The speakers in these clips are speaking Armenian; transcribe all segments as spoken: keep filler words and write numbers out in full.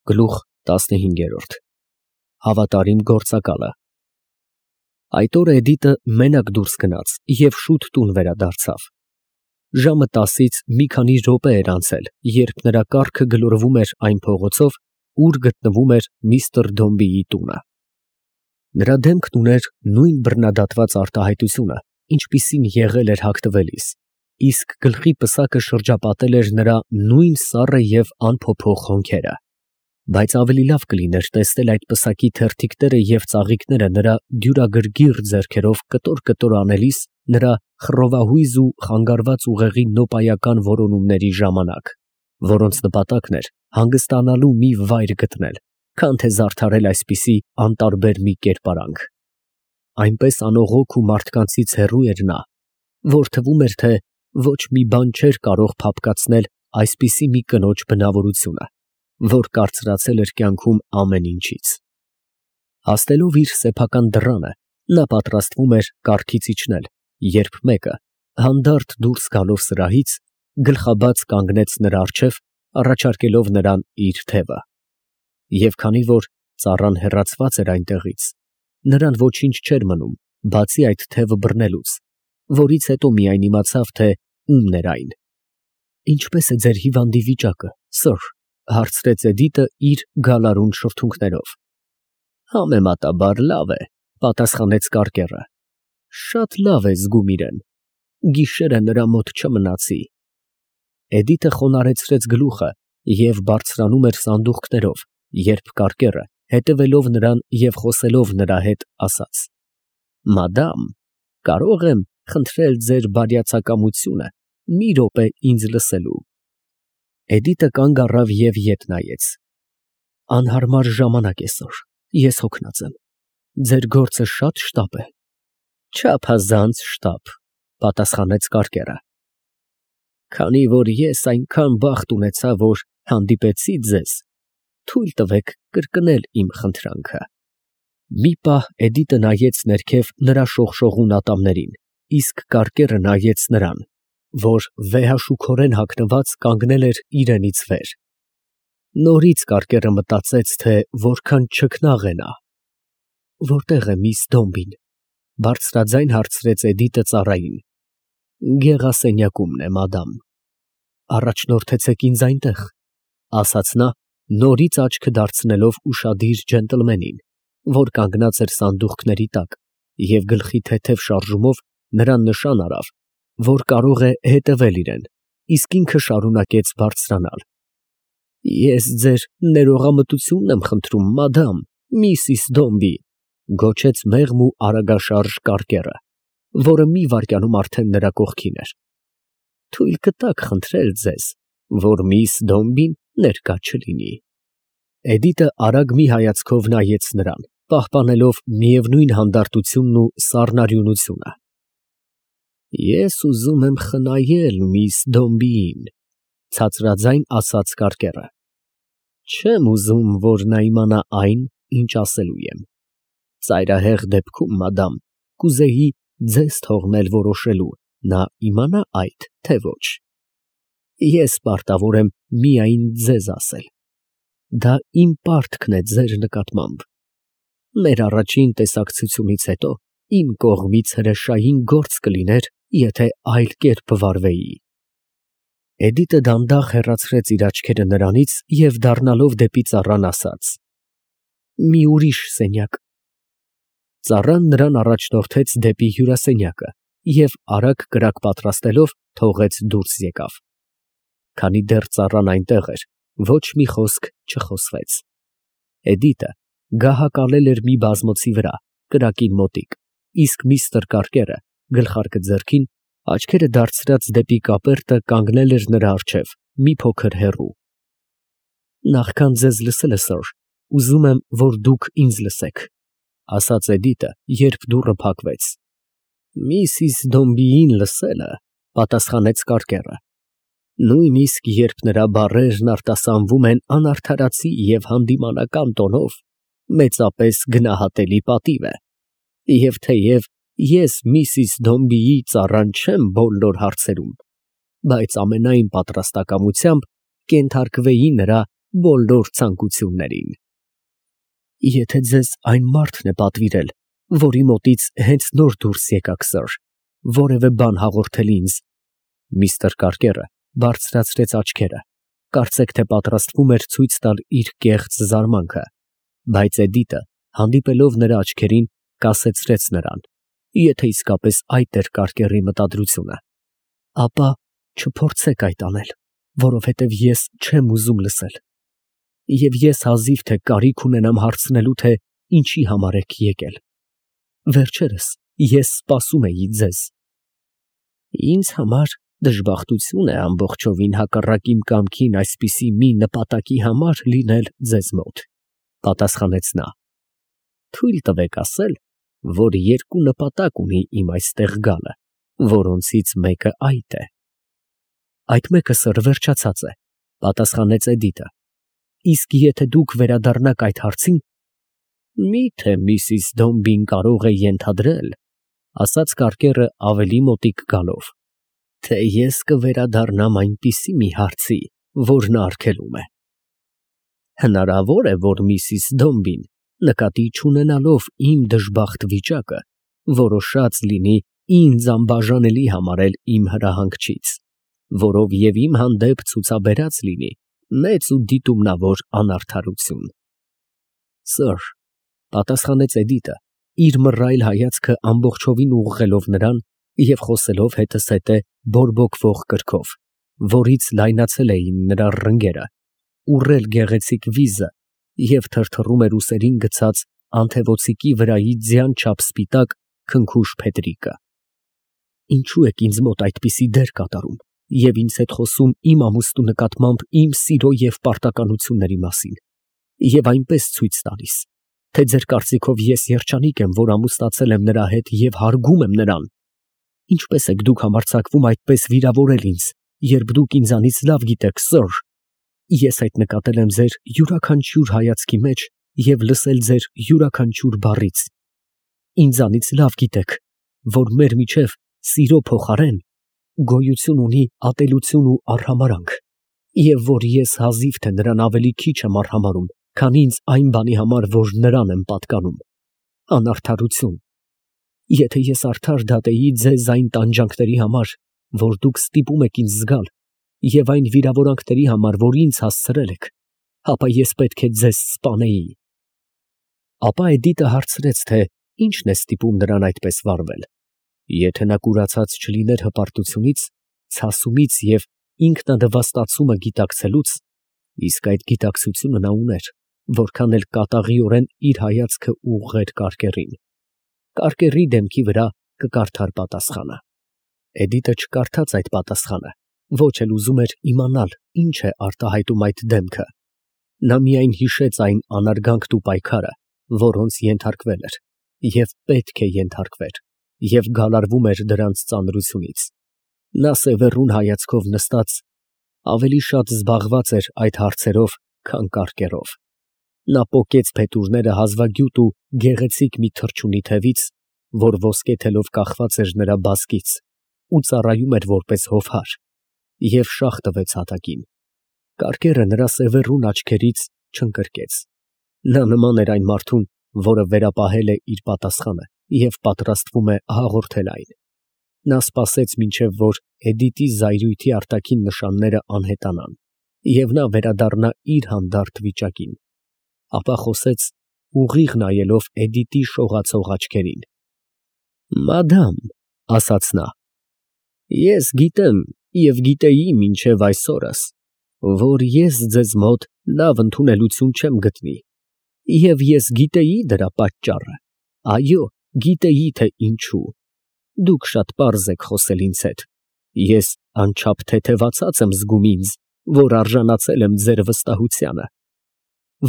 Գլուխ տասնհինգ. Հավատարիմ գործակալը։ Այդ օրը Էդիտը մենակ դուրս գնաց և շուտ տուն վերադարձավ։ Ժամը տասից մի քանի րոպե էր անցել, երբ նրա կառքը գլորվում էր այն փողոցով, ուր գտնվում էր միստր Դոմբիի տունը։ Նրա դեմքն ուներ նույն բռնադատված արտահայտությունը, ինչպիսին եղել էր հագնվելիս, իսկ գլխի պսակը շրջապատել էր նրա նույն սառը և անփոփոխ հոնքերը։ Բայց ավելի լավ կլիներ տեսնել այդ պսակի թերթիկները և ծաղիկները նրա դյուրագրգիռ ձեռքերով կտոր֊կտոր անելիս նրա խռովահույզ ու խանգարված ուղեղի նոպայական որոնումների ժամանակ, որոնց նպատակն էր հանգստանալու մի վայր գտնել, քան թե զարդարել այսպիսի անտարբեր մի կերպարանք։ Այնպես անողոք ու մարդկանցից հեռու էր նա, որ թվում էր, թե ոչ մի բան չէր կարող փափկացնել այսպիսի մի կնոջ բնավորությունը, որ կարծրացել էր կյանքում ամեն ինչից։ Հասնելով իր սեփական դռանը, նա պատրաստվում էր կառքից իջնել, երբ մեկը, հանդարտ դուրս գալով սրահից, գլխաբաց կանգնեց նրա առջև, առաջարկելով նրան իր թևը։ Եվ քանի որ ծառան հեռացված էր այնտեղից, նրան ոչինչ չէր մնում, բացի այդ թևը բռնելուց, որից հետո միայն իմացավ, թե ումն էր այն։ «Ինչպե՞ս է ձեր հիվանդի վիճակը, սըր», հարցրեց Էդիտը իր գալարուն շրթունքներով։ «Համեմատաբար լավ է», պատասխանեց կառկերը։ «Շատ լավ է զգում իրեն։ Գիշերը նրա մոտ չմնացի»։ Էդիտը խոնարհեցրեց գլուխը և բարձրանում էր սանդուղքներով, երբ կառկերը, հետևելով նրան և խոսելով նրա հետ, ասաց. «Մադամ, կարո՞ղ եմ խնդրել ձեր բարյացակամությունը մի րոպե ինձ լսելու»։ Էդիտը կանգ առավ և ետ նայեց։ «Անհարմար ժամանակ է, սըր, ես հոգնած եմ։ Ձեր գործը շատ շտապ է»։ «Չափազանց շտապ», պատասխանեց կառկերը։ «Քանի որ ես այնքան բախտ ունեցա, որ հանդիպեցի ձեզ, թույլ տվեք կրկնել իմ խնդրանքը»։ Մի պահ Էդիտը նայեց ներքև նրա շողշողուն ատամներին, իսկ կառկերը նայեց նրան, որ վեհաշուքորեն հագնված կանգնել էր իրենից վեր։ Նորից կառկերը մտածեց, թե որքան չքնաղ է նա։ «Որտե՞ղ է միս Դոմբին», բարձրաձայն հարցրեց Էդիտը ծառային։ «Գեղասենյակումն է, մադամ»։ «Առաջնորդեցեք ինձ այնտեղ», ասաց նա, նորից աչքը դարձնելով ուշադիր ջենտլմենին, որ կանգնած էր սանդուղքների տակ և գլխի թեթև շարժումով նրան նշան արավ, որ կարող է հետևել իրեն, իսկ ինքը շարունակեց բարձրանալ։ «Ես ձեր ներողամտությունն եմ խնդրում, մադամ, Միսիս Դոմբի», գոչեց մեղմ ու արագաշարժ կառկերը, որը մի վայրկյանում արդեն նրա կողքին էր։ «Թույլ կտաք խնդրել ձեզ, որ միս Դոմբին ներկա չլինի»։ Էդիտը արագ մի հայացքով նայեց նրան, պահպանելով միևնույն հանդարտությունն ու սառնարյունությունը։ «Ես ուզում եմ խնայել միս Դոմբիին», ցածրաձայն ասաց կառկերը։ «Չեմ ուզում, որ նա իմանա այն, ինչ ասելու եմ։ Ծայրահեղ դեպքում, մադամ, կուզեի ձեզ թողնել որոշելու, նա իմանա այդ, թե ոչ։ Ես պարտավոր եմ միայն ձեզ ասել։ Դա իմ պարտքն է ձեր նկատմամբ։ Մեր առաջին տեսակցությունից հետո իմ կողմից հրեշային գործ կլիներ, եթե այլ կերպ վարվեի»։ Էդիտը դանդաղ հեռացրեց իր աչքերը նրանից և դառնալով դեպի ծառան ասաց. «Մի ուրիշ սենյակ»։ Ծառան նրան առաջնորդեց դեպի հյուրասենյակը և արագ կրակ պատրաստելով թողեց դուրս եկավ։ Քանի դեռ ծառան այնտեղ էր, ոչ մի խոսք չխոսվեց։ Էդիտը գահակալել էր մի բազմոցի վրա, կրակին մոտիկ, իսկ միստր Կառկերը, գլխարկը ձեռքին, աչքերը դարձրած դեպի կապերտը, կանգնել էր նրա առջև, մի փոքր հեռու։ «Նախքան ձեզ լսելը, սըր, ուզում եմ, որ դուք ինձ լսեք», ասաց Էդիտը, երբ դուռը փակվեց։ «Միսիս Դոմբիին լսելը», պատասխանեց կառկերը, «նույնիսկ երբ նրա բառերն արտասանվում են անարդարացի և հանդիմանական տոնով, մեծապես գնահատելի պատիվ է, և թեև ես միսիս Դոմբիի ծառան չեմ բոլոր հարցերում, բայց ամենայն պատրաստակամությամբ կենթարկվեի նրա բոլոր ցանկություններին։ Եթե ձեզ այն մարդն է պատվիրել, որի մոտից հենց նոր դուրս եկաք, սըր, որևէ բան հաղորդել ինձ, միստր Կարկերը բարձրացրեց աչքերը, կարծեք թե պատրաստվում էր ցույց տալ իր կեղծ զարմանքը, բայց Էդիտը, հանդիպելով նրա աչքերին, կասեցրեց նրան, եթե իսկապես այդ էր Կարկերի մտադրությունը, ապա չփորձեք այդ անել, որովհետև ես չեմ ուզում լսել, և ես հազիվ թե կարիք ունենամ հարցնելու, թե ինչի համար եք եկել, վերջերս ես սպասում էի ձեզ։ Ինձ համար դժբախտություն է ամբողջովին հակառակ իմ կամքին այսպիսի մի նպատակի համար լինել ձեզ մոտ, պատասխանեց նա, թույլ տվեք ասել, որ երկու նպատակ ունի իմ այստեղ գալը, որոնցից մեկը այդ է։ Այդ մեկը, սըր, վերջացած է, պատասխանեց Էդիտը, իսկ եթե դուք վերադառնաք այդ հարցին, միթե միսիս Դոմբին կարող է ենթադրել, ասաց Կարկերը ավելի մոտիկ գալով, թե ես կվերադառնամ այնպիսի մի հարցի, որ նա արգելում է։ Հնարավոր է, որ միսիս Դոմբին, նկատի չունենալով իմ դժբախտ վիճակը, որոշած լինի ինձ անբաժանելի համարել իմ հրահանգչից, որով և իմ հանդեպ ցուցաբերած լինի մեծ ու դիտումնավոր անարդարություն։ Սըր, պատասխանեց Էդիտը, իր մռայլ հայացքը ամբողջովին ուղղելով նրան և խոսելով հետզհետե բորբոքվող կրքով, որից լայնացել էին նրա ռնգերը, ուռել գեղեցիկ վիզը և թրթռում էր ուսերին գցած անթևոցիկի վրայի ձյան չափ սպիտակ քնքուշ փետրիկը։ Ինչու եք ինձ մոտ այդպիսի դեր կատարում և ինձ հետ խոսում իմ ամուսնու նկատմամբ իմ սիրո և պարտականությունների մասին և այնպես ցույց տալիս, թե ձեր կարծիքով ես երջանիկ եմ, որ ամուսնացել եմ նրա հետ և հարգում եմ նրան։ Ինչպես եք դուք համարձակվում այդպես վիրավորել ինձ, երբ դուք ինձանից լավ գիտեք, սըր, ես այդ նկատել եմ ձեր յուրաքանչյուր հայացքի մեջ և լսել ձեր յուրաքանչյուր բառից։ Ինձանից լավ գիտեք, որ մեր միջև սիրո փոխարեն գոյություն ունի ատելություն ու արհամարհանք, և որ ես հազիվ թե նրան ավելի քիչ եմ արհամարհում, քան ինձ այն բանի համար, որ նրան եմ պատկանում։ Անարդարություն։ Եթե ես արդար դատեի ձեզ այն տանջանքների համար, որ դուք ստիպում եք ինձ զգալ, և այն վիրավորանքների համար, որ ինձ հասցրել եք, ապա ես պետք է ձեզ սպանեի։ Ապա Էդիտը հարցրեց, թե ինչն է ստիպում նրան այդպես վարվել։ Եթե նա կուրացած չլիներ հպարտությունից, ցասումից և ինքնադվաստացումը գիտակցելուց, իսկ այդ գիտակցությունը նա ուներ, որքան էլ կատաղիորեն իր հայացքը ուղղեր Կարկերին, Կարկերի դեմքի վրա կկարդար պատասխանը։ Էդիտը չկարդաց այդ պատասխանը, ոչ էլ ուզում էր իմանալ, ինչ է արտահայտում այդ դեմքը։ Նա միայն հիշեց այն անարգանքն ու պայքարը, որոնց ենթարկվել էր և պետք է ենթարկվեր, և գալարվում էր դրանց ծանրությունից։ Նա սևեռուն հայացքով նստած ավելի շատ զբաղված էր այդ հարցերով, քան Կարկերով։ Նա պոկեց փետուրները հազվագյուտ ու գեղեցիկ մի թռչունի թևից, որ ոսկե թելով կախված էր նրա բազկից ու ծառայում էր որպես հովհար, և շաղ տվեց հատակին։ Կարկերը նրա սևեռուն աչքերից չընկրկեց։ Նա նման էր այն մարդուն, որը վերապահել է իր պատասխանը և պատրաստվում է հաղորդել այն։ Նա սպասեց, մինչև որ Էդիտի զայրույթի արտաքին նշանները անհետանան, և նա վերադառնա իր հանդարտ վիճակին, ապա խոսեց ուղիղ նայելով Էդիտի շողացող աչքերին։ Մադամ, ասաց նա, ես գիտեմ և գիտեի մինչև այսօրս, որ ես ձեզ մոտ լավ ընդունելություն չեմ գտնի, և ես գիտեի դրա պատճառը, այո, գիտեի, թե ինչու։ Դուք շատ պարզ եք խոսել ինձ հետ, ես անչափ թեթևացած եմ զգում ինձ, որ արժանացել եմ ձեր վստահությանը։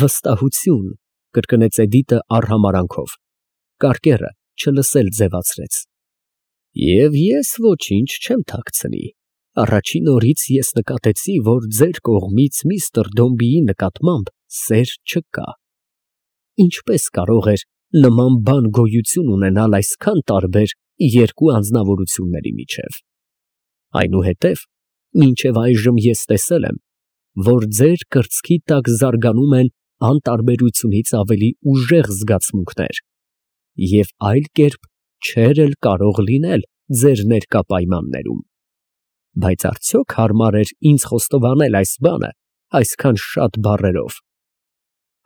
Վստահություն, կրկնեց Էդիտը արհամարհանքով։ Կարկերը չլսել ձևացրեց։ Եվ ես ոչինչ չեմ թաքցնի։ Առաջին օրից ես նկատեցի, որ ձեր կողմից միստր Դոմբիի նկատմամբ սեր չկա։ Ինչպես կարող էր նման բան գոյություն ունենալ այսքան տարբեր երկու անձնավորությունների միջև։ Այնուհետև, մինչև այժմ ես տեսել եմ, որ ձեր կրծքի տակ զարգանում են անտարբերությունից ավելի ուժեղ զգացմունքներ, և այլ կերպ չէր էլ կարող լինել ձեր ներկա պայմաններում, բայց արդյոք հարմար էր ինձ խոստովանել այս բանը այսքան շատ բառերով։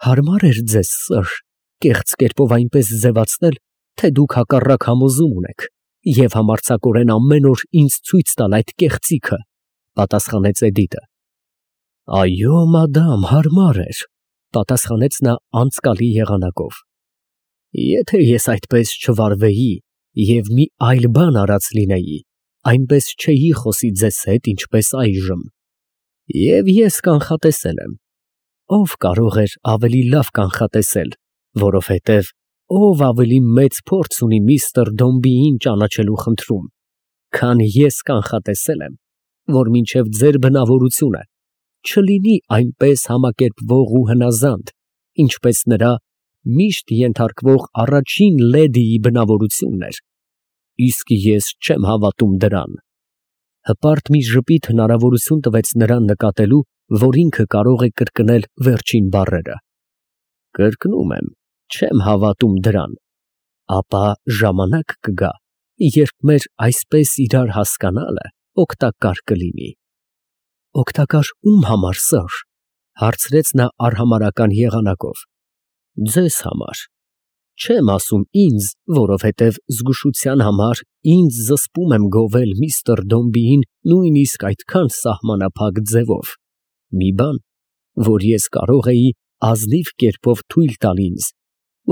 Հարմար էր ձեզ, սըր, կեղծ կերպով այնպես ձևացնել, թե դուք հակառակ համոզում ունեք և համարձակորեն ամեն օր ինձ ցույց տալ այդ կեղծիքը, պատասխանեց Էդիտը։ Այո, մադամ, հարմար էր, պատասխանեց նա անցկալի եղանակով։ Եթե ես այդպես չվարվեի և մի այլ բան արած լինեի, այնպես չէի խոսի ձեզ հետ, ինչպես այժմ։ Եվ ես կանխատեսել եմ։ Ով կարող էր ավելի լավ կանխատեսել, որովհետև ով ավելի մեծ փորձ ունի միստր Դոմբիին ճանաչելու խնդրում, քան ես կանխատեսել եմ, որ մինչև ձեր բնավորությունը չլինի այնպես համակերպվող ու հնազանդ, ինչպես նրա միշտ ենթարկվող առաջին լեդիի բնավորությունն էր, իսկ ես չեմ հավատում դրան։ Հպարտ մի ժպիտ հնարավորություն տվեց նրան նկատելու, որ ինքը կարող է կրկնել վերջին բառերը։ Կրկնում եմ, չեմ հավատում դրան, ապա ժամանակ կգա, երբ մեր այսպես իրար հասկանալը օգտակար կլինի։ Օգտակար ում համար, սըր, հարցրեց նա արհամարհական եղանակով։ Ձեզ համար։ Չեմ ասում ինձ, որովհետև զգուշության համար ինձ զսպում եմ գովել միստր Դոմբիին նույնիսկ այդքան սահմանափակ ձևով, մի բան, որ ես կարող էի ազնիվ կերպով թույլ տալ ինձ,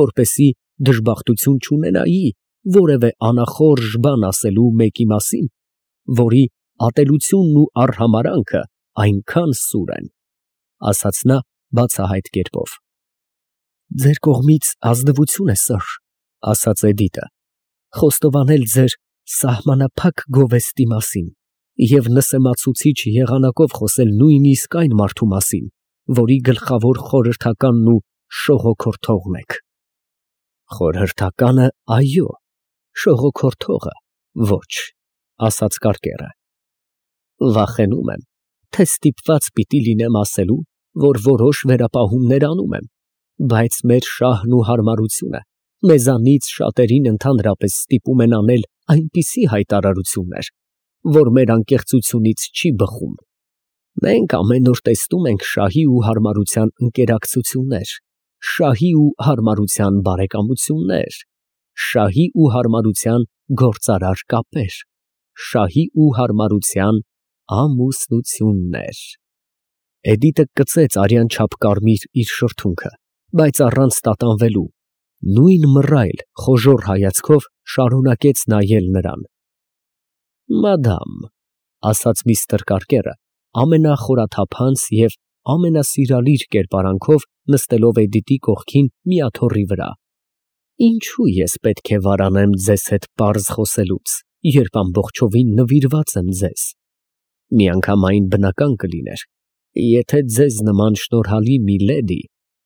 որպեսզի դժբախտություն չունենայի որևէ անախորժ բան ասելու մեկի մասին, որի ատելությունն ու արհամարհանքը այնքան սուր են, ասաց նա բացահայտ կերպով։ Ձեր կողմից ազնվություն է, սըր, ասաց Էդիտը, խոստովանել ձեր սահմանափակ գովեստի մասին և նսեմացուցիչ եղանակով խոսել նույնիսկ այն մարդու մասին, որի գլխավոր խորհրդականն ու շողոքորթողն եք։ Խորհրդականը այո, շողոքորթողը ոչ, ասաց կարկերը։ Վախենում եմ, թե ստիպված պիտի լինեմ ասելու, որ որոշ վերապահումներ անում եմ, բայց մեր շահն ու հարմարությունը մեզանից շատերին ընդհանրապես ստիպում են անել այնպիսի հայտարարություններ, որ մեր անկեղծությունից չի բխում։ Մենք ամեն օր տեսնում ենք շահի ու հարմարության ընկերակցություններ, շահի ու հարմարության բարեկամություններ, շահի ու հարմարության գործարար կապեր, շահի ու հարմարության ամուսնություններ։ Էդիտը կծեց արյան չափ կարմիր իր շրթունքը, բայց առանց տատանվելու, նույն մռայլ խոժոռ հայացքով շարունակեց նայել նրան։ Մադամ, ասաց միստր Կարկերը ամենախորաթափանց և ամենասիրալիր կերպարանքով նստելով Էդիտի կողքին մի աթոռի վրա, ինչու ես պետք է վարանեմ ձեզ հետ պարզ խոսելուց, երբ ամբողջովին նվիրված եմ ձեզ։ Միանգամայն բնական կլիներ, եթե ձեզ նման շնորհալի մի լեդի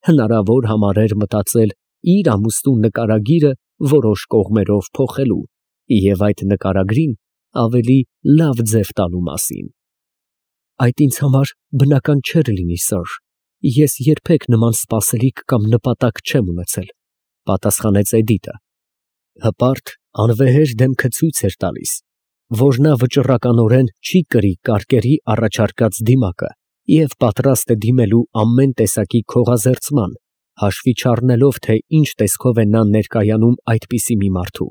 հնարավոր համարեր մտածել իր ամուսնու նկարագիրը որոշ կողմերով փոխելու և այդ նկարագրին ավելի լավ ձև տալու մասին։ Այդ ինձ համար բնական չէր լինի, սըր, ես երբեք նման սպասելիք կամ նպատակ չեմ ունեցել, պատասխանեց Էդիտը։ Հպարտ անվեհեր դեմքը ցույց էր տալիս, որ նա վճռականորեն չի կրի կարկերի առաջարկած դիմակը և պատրաստ է դիմելու ամեն տեսակի քողազերծման, հաշվի չառնելով, թե ինչ տեսքով է նա ներկայանում այդպիսի մի մարդու։